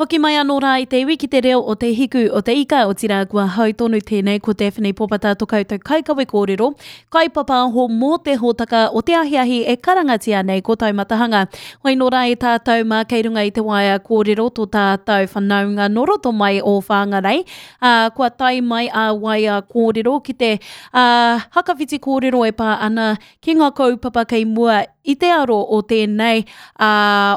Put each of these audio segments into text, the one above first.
Hoki mai anō rā i te iwi ki te reo o te hiku o te ika, otirā kua hau tonu tēnei ko Daphne Popata to koutou kaikawe kōrero, kaipapāho mō te hōtaka o te ahiahi e karangatia nei ko Taumatahanga. Hoi nō rā e tātou mā kei runga i te waea kōrero to tātou whanaunga nō roto mai o Whangarei, ā, kua tae mai a waea kōrero ki te, ā, hakawhiti kōrero e pā ana ki ngā kaupapa kei mua i te aro o tēnei, ā,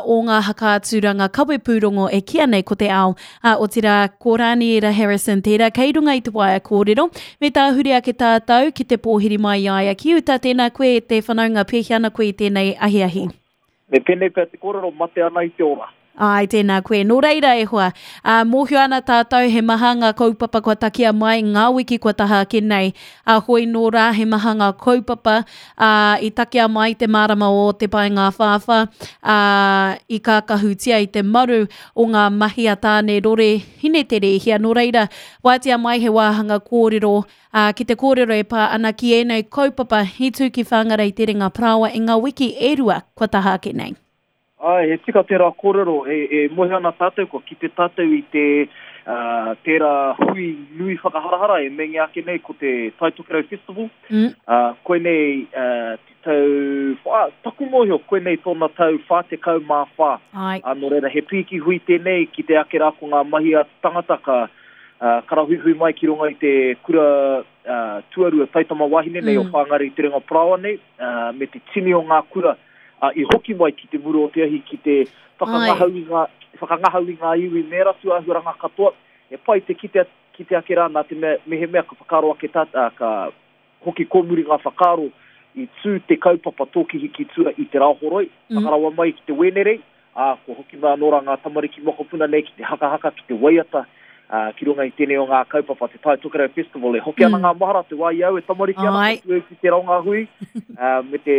o ngā hakaaturanga kawepūrongo e kīa nei ko te ao, ā, otirā, ko Rāniera Harrison tērā kei runga i te waea kōrero. Me tāhure ake tātou ki te pōhiri mai i a ia ki uta, tēnā koe e te whanaunga, pēhea ana koe i tēnei ahiahi? Me pēnei pea te kōrero, mate ana i te ora. Āe, tēnā koe. Nō reira e hoa, ā, mōhio ana tātou he maha ngā kaupapa kua takia mai ngā wiki kua taha ake nei. Ā, hoi nō rā he maha ngā kaupapa, ā, i takea mai te mārama o te paengāwhāwhā, ā, i kākahutia i te maru o ngā mahi a Tāne Rore Hineterēhia. Nō reira, wātea mai he wāhanga kōrero, ā, ki te kōrero e pā ana ki ēnei kaupapa i tū ki Whangarei Te Renga Parāoa i ngā wiki e rua kua taha ake nei. Āe, he tika tērā kōrero, e, e moe ana tātou, kua kite tātou i te, ā, tērā hui nui whakaharahara e meinga ake nei ko te Tai Tokerau Festival. Mm. Ā, koinei, ā, te tau, whā, taku mōhio, koinei tōna tau 44. Āe. Ā, nō reira, he pīki hui tēnei ki te ake rā ko ngā mahi a te tangata ka, ā, karahuihui mai ki runga i te kura, ā, tuarua taitama wahine nei mm. o Whāngārei Te Renga Parāoa nei, ā, me te tini o ngā kura, ā, i hoki mai ki te muru o te ahi ki te whakangahau i ngā, whakangahau i ngā iwi me ērā tūāhuaranga katoa. He pai te kite, kite ake rā nā te mea, mehemea ka whakaaro ake tā, ā, ka hoki kōmuri ngā whakaaro i tū te kaupapa Tōkihi ki Tua i te Rāhoroi, mm. whakarawa mai ki te Wēnerei, ā, kua hoki mai anō rā ngā tamariki mokopuna nei ki te hakahaka, ki te waiata, ā, ki runga i tēnei o ngā kaupapa, te Tai Tokerau Festival. E hoki ana mm. ngā mahara te wā i au e tamariki ana, ko tū ki tērā o ngā hui, ā, me te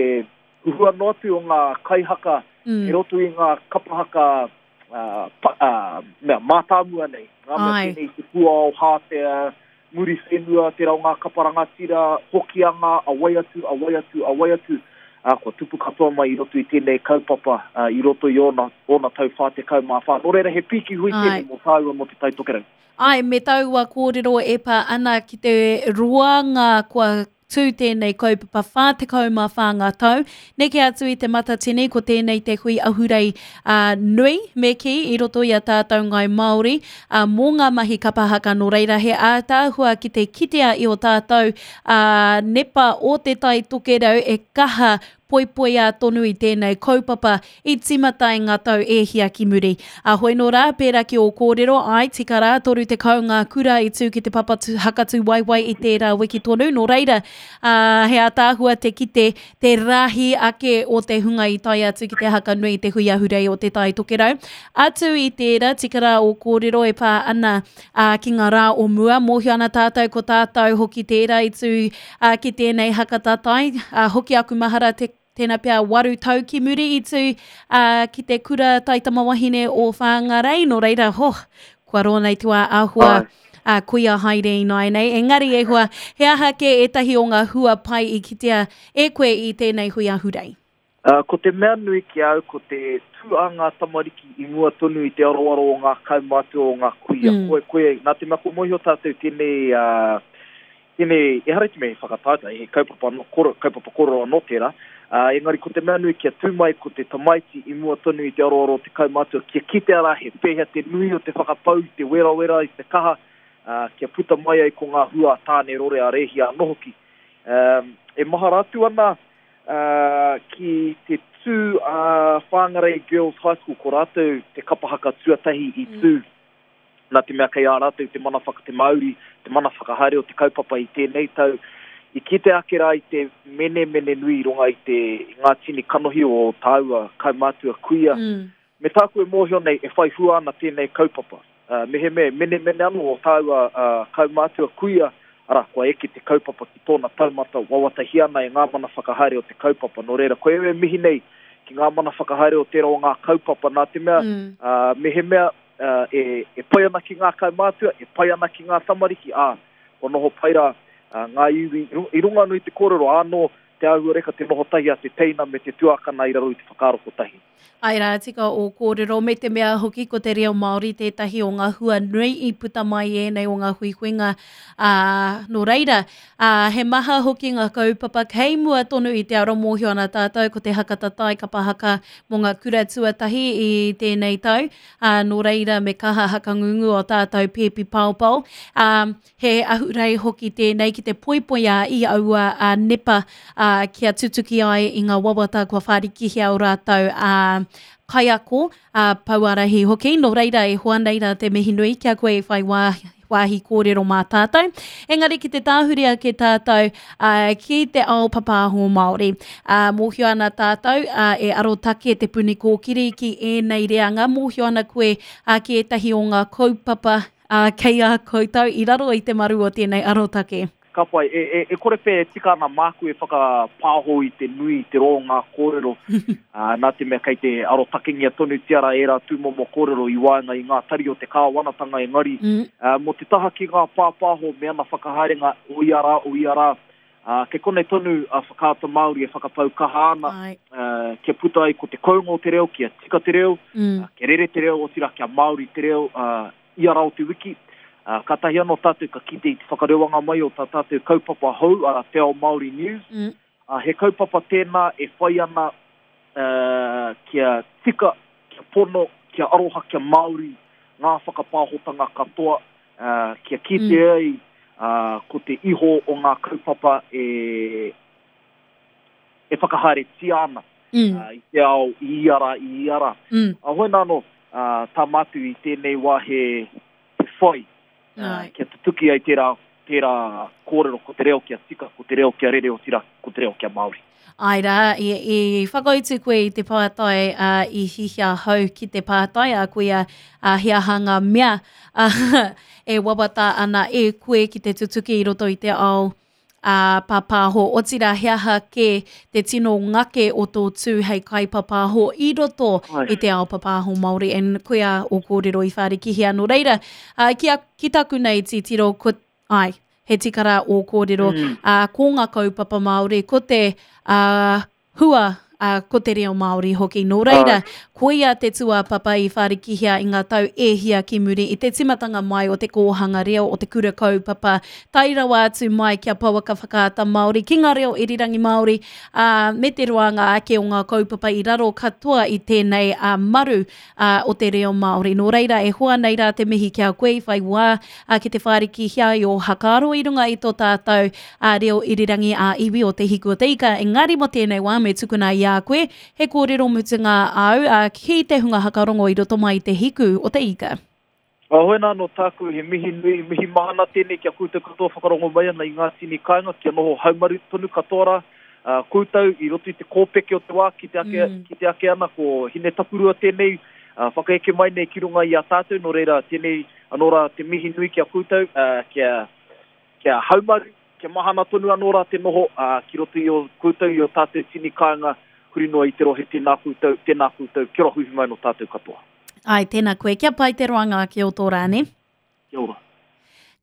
huhua noa atu o ngā kaihaka mm. i roto i ngā kapahaka ā, pa, ā, mea, mātāmua nei. Ngā mea pēnei i te puao, hātea, Muriwhenua, tērā o ngā kapa rangatira, Hokianga, a wai atu, a wai atu, a wai atu, ā, kua tupu katoa mai i roto i tēnei kaupapa, ā, i roto i ōna, ōna tau 44. Nō reira, he pīki hui tēnei mō tāua mō Te Tai Tokerau. Āe, me taua kōrero e pā ana ki te roanga kua tū tēnei kaupapa 44 ngā tau. Neke atu i te Matatini, ko tēnei te hui ahurei uh, nui, me kī, i roto i a tātou Ngāi Māori, uh, mō ngā mahi kapa haka. Nō reira, he ātaahua ki te kitea i o tātou uh, nepa o Te Tai Tokerau e kaha poipoia tonu i tēnei kaupapa i tīmata i ngā tau e hia ki muri. A hoi nō rā, pērā ki ō kōrero, āe, tika rā, 30 ngā kura i tū ki te papa hakatū waewae i tērā wiki tonu, nō reira, ā, he ātaahua te kite, te rahi ake o te hunga i tae atu ki te haka nui i te hui ahurei o Te Tai Tokerau. Atu i tērā, tika rā ō kōrero e pā ana, ā, ki ngā rā o mua, mōhio ana tātou ko tātou hoki tērā i tū Ā, ki tēnei haka tatai, ā, hoki aku mahara te, tēnā pea waru tau ki muri i tū, ā, ki te kura taitamawahine o Whāngarei, nō reira, ho, kua roa nei te wā āhua, ā, kuia haere ināianei. Engari e hoa, he aha kē ētahi o ngā hua pai i kitea e koe i tēnei hui ahurei? Ā, ko te mea nui ki a au ko te tū a ngā tamariki i mua tonu i te aroaro o ngā kaumātua o ngā kuia. Mm. Koe, koe, nā te mea kua mōhio tātou tēnei, ā, tēnei, ehara i te mea he whakataetae, he kaupapa anō, koro, kaupapa kōrero anō tērā, ā, engari ko te mea nui kia tū mai ko te tamaiti i mua tonu i te aroaro o te kaumātua, kia kitea rā he pēhea te nui o te whakapau i te werawera, i te kaha, ā, kia puta mai ai ko ngā hua a Tāne Rore a Rēhia anō hoki. Ā, e mahara atu ana, ā, ki te tū a Whangarei Girls High School, ko rātou te kapa haka tuatahi i tū, nā te mea kei a rātou te mana whaka, te mauri, te mana whakahaere o te kaupapa i tēnei tau, i kite ake rā i te menemene nui i runga i te, i ngā tini kanohi o tāua kaumātua kuia, mm. Me tāku e mōhio nei e whai hua ana tēnei kaupapa. Mehemea e menemene anō ō tāua kaumātua kuia, arā, kua eke te kaupapa ki tōna taumata, wawatahia ana e ngā mana whakahaere o te kaupapa. Nō reira, koia e mihi nei ki ngā mana whakahaere o tērā o ngā kaupapa, nā te mea, mehemea e pai ana ki ngā kaumātua, e pai ana ki ngā tamariki, ā, kua noho pai rā ngā iwi i runga anō i te kōrero, ānō. te āhuareka te noho tahi a te teina me te tuakana i raro i te whakaaro kotahi. Āe rā, tika ō kōrero, me te mea hoki ko te reo Māori tētahi o ngā hua nui i puta mai i ēnei o ngā huihuinga, ā, nō reira, ā, he maha hoki ngā kaupapa kei mua tonu i te aro mōhio ana tātou ko te haka tatai kapa haka mō ngā kura tuatahi i tēnei tau, ā, nō reira me kaha hakangungu o tātou pēpi paopao, ā, He ahurei hoki tēnei ki te poipoiā i aua nepa kia tutuki ai i ngā wawata kua whārikihia o rātou kaiako, pouārahi hoki. Nō reira, e hoa nei rā te mihi nui ki a koe i whai wāhi kōrero mā tātou. Engari ki te tāhuri ake tātou ki te ao papāho Māori. Mōhio ana tātou e arotake Te Puni Kōkiri ki ēnei reanga. Mōhio ana koe ki ētahi o ngā kaupapa Ā, kei a koutou i raro i te maru o tēnei arotake. Ka pai. E, e, e kore pea e tika ana māku e whakapāho i te nui, i te roa o ngā kōrero, ā, nā te mea kei te arotakengia tonutia rā ērā tūmomo kōrero i waenga i ngā tari o te kāwanatanga engari, ā, mō te taha ki ngā pāpāho me ana whakahaerenga o ia rā, o ia rā, ā, kei konei tonu a Whakaata Māori e whakapau kaha ana, ā, kia puta ai ko te kounga o te reo, kia tika te reo, ā, kia rere te reo, otirā kia Māori te reo, ā, ia rā o te wiki, ā, kātahi anō tātou ka kite i te whakarewanga mai o tā tātou kaupapa hou, arā, Te Ao Māori News. Ā, he kaupapa tēnā e whai ana, ā, kia tika, kia pono, kia aroha, kia Māori ngā whakapāhotanga katoa, ā, kia kite ai, ā, ko te iho o ngā kaupapa e, e whakahaeretia ana i te ao i ia rā, i ia rā. Mm. Hoi nā anō, tā mātou i tēnei wā he, he whai kia tutuki ai tērā, tērā kōrero, ko te reo kia tika, ko te reo kia rere, otirā, ko te reo kia Māori. Āe rā, i, i whakautu koe i te pātai, uh, i hihia hau ki te pātai, a koia, uh, he aha ngā mea uh, e wawata ana e koe ki te tutuki i roto i te ao ā, pāpāho, otirā he aha kē te tino ngake o tō tū hei kaipapāho i roto i te ao papāho Māori, and koia ō kōrero i whārikihia. Nō reira, ā, ki a, ki taku nei titiro, ko, āe, he tika rā ō kōrero, ā, ko ngā kaupapa Māori, ko te, ā, hua, ā, ko te reo Māori hoki. Nō reira, koia te tūāpapa i whārikihia i ngā tau e hia ki muri i te tīmatanga mai o te kōhanga reo o te kura kaupapa, tae rawa atu mai kia pouaka whakaata Māori, ki ngā reo irirangi Māori, ā, me te roanga ake o ngā kaupapa i raro katoa i tēnei maru ā, o te reo Māori. Nō reira, e hoa nei rā te mihi ki a koe i whai wā ā, ki te whārikihia i ō hakaaro i runga i tō tātou ā, reo irirangi ā-iwi o Te Hiku o te Ika. Engari mō tēnei wā me tukuna i a koe he kōrero mutunga āu ā, ki te hunga hakarongo i roto mai i Te Hiku o te Ika. Ahoena anō tāku, he mihi nui, mihi mahana tēnei ki a koutou katoa whakarongo mai ana i ngā tini kāinga kia noho haumaru tonu katoa rā koutou i roto i te kōpeke o te wā kite ake, kite ake ana ko Hine Takurua tēnei whakaeke mai nei ki runga i a tātou nō reira tēnei anō rā te mihi nui ki a koutou kia, kia haumaru, kia mahana tonu anō rā te noho ki roto i ō koutou, i ō tātou tini kāinga huri noa i te rohe tēnā koutou, tēnā koutou, kia ora huihui mai nō tātou katoa. Ai, tēnā koe. Kia pai te roanga ake o tō rā, nē? Kia ora.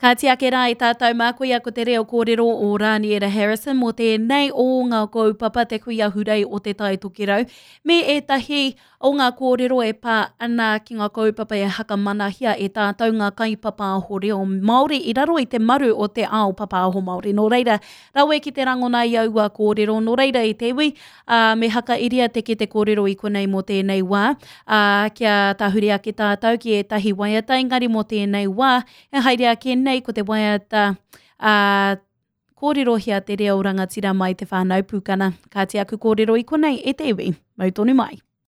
Kāti ake rā i tātou mā, koia ko te reo kōrero o Rāniera Harrison mō tēnei o ngā kaupapa Te Hui Ahurei o Te Tai Tokerau me ētahi o ngā kōrero e pā ana ki ngā kaupapa e hakamanahia e tātou ngā kaipapāho reo Māori i raro i te maru o te ao papāho Māori. Nō reira, rawe ki te rangona i aua kōrero, nō reira i te iwi, ā, me hakairia te kete kōrero i konei mō tēnei wā, ā, kia tahuri ake tātou ki ētahi waiata, engari mō tēnei wā, e haere ake nei ko te waiata, ā, kōrerohia te reo rangatira mai te whānau pūkana. Kāti aku kōrero i konei e te iwi. Mau tonu mai.